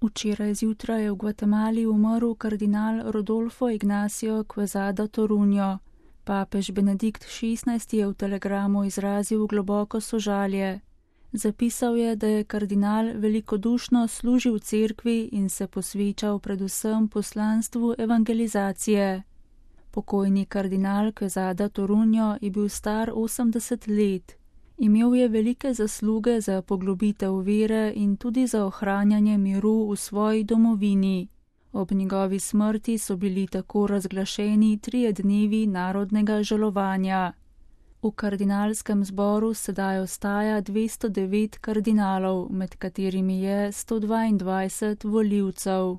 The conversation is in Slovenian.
Včeraj zjutraj je v Gvatemali umrl kardinal Rodolfo Ignacio Quezada Toruño. Papež Benedikt XVI je v telegramu izrazil globoko sožalje. Zapisal je, da je kardinal velikodušno služil cerkvi in se posvečal predvsem poslanstvu evangelizacije. Pokojni kardinal Quezada Toruño je bil star 80 let. Imel je velike zasluge za poglobitev vere in tudi za ohranjanje miru v svoji domovini. Ob njegovi smrti so bili tako razglašeni 3 dnevi narodnega žalovanja. V kardinalskem zboru sedaj ostaja 209 kardinalov, med katerimi je 122 volivcev.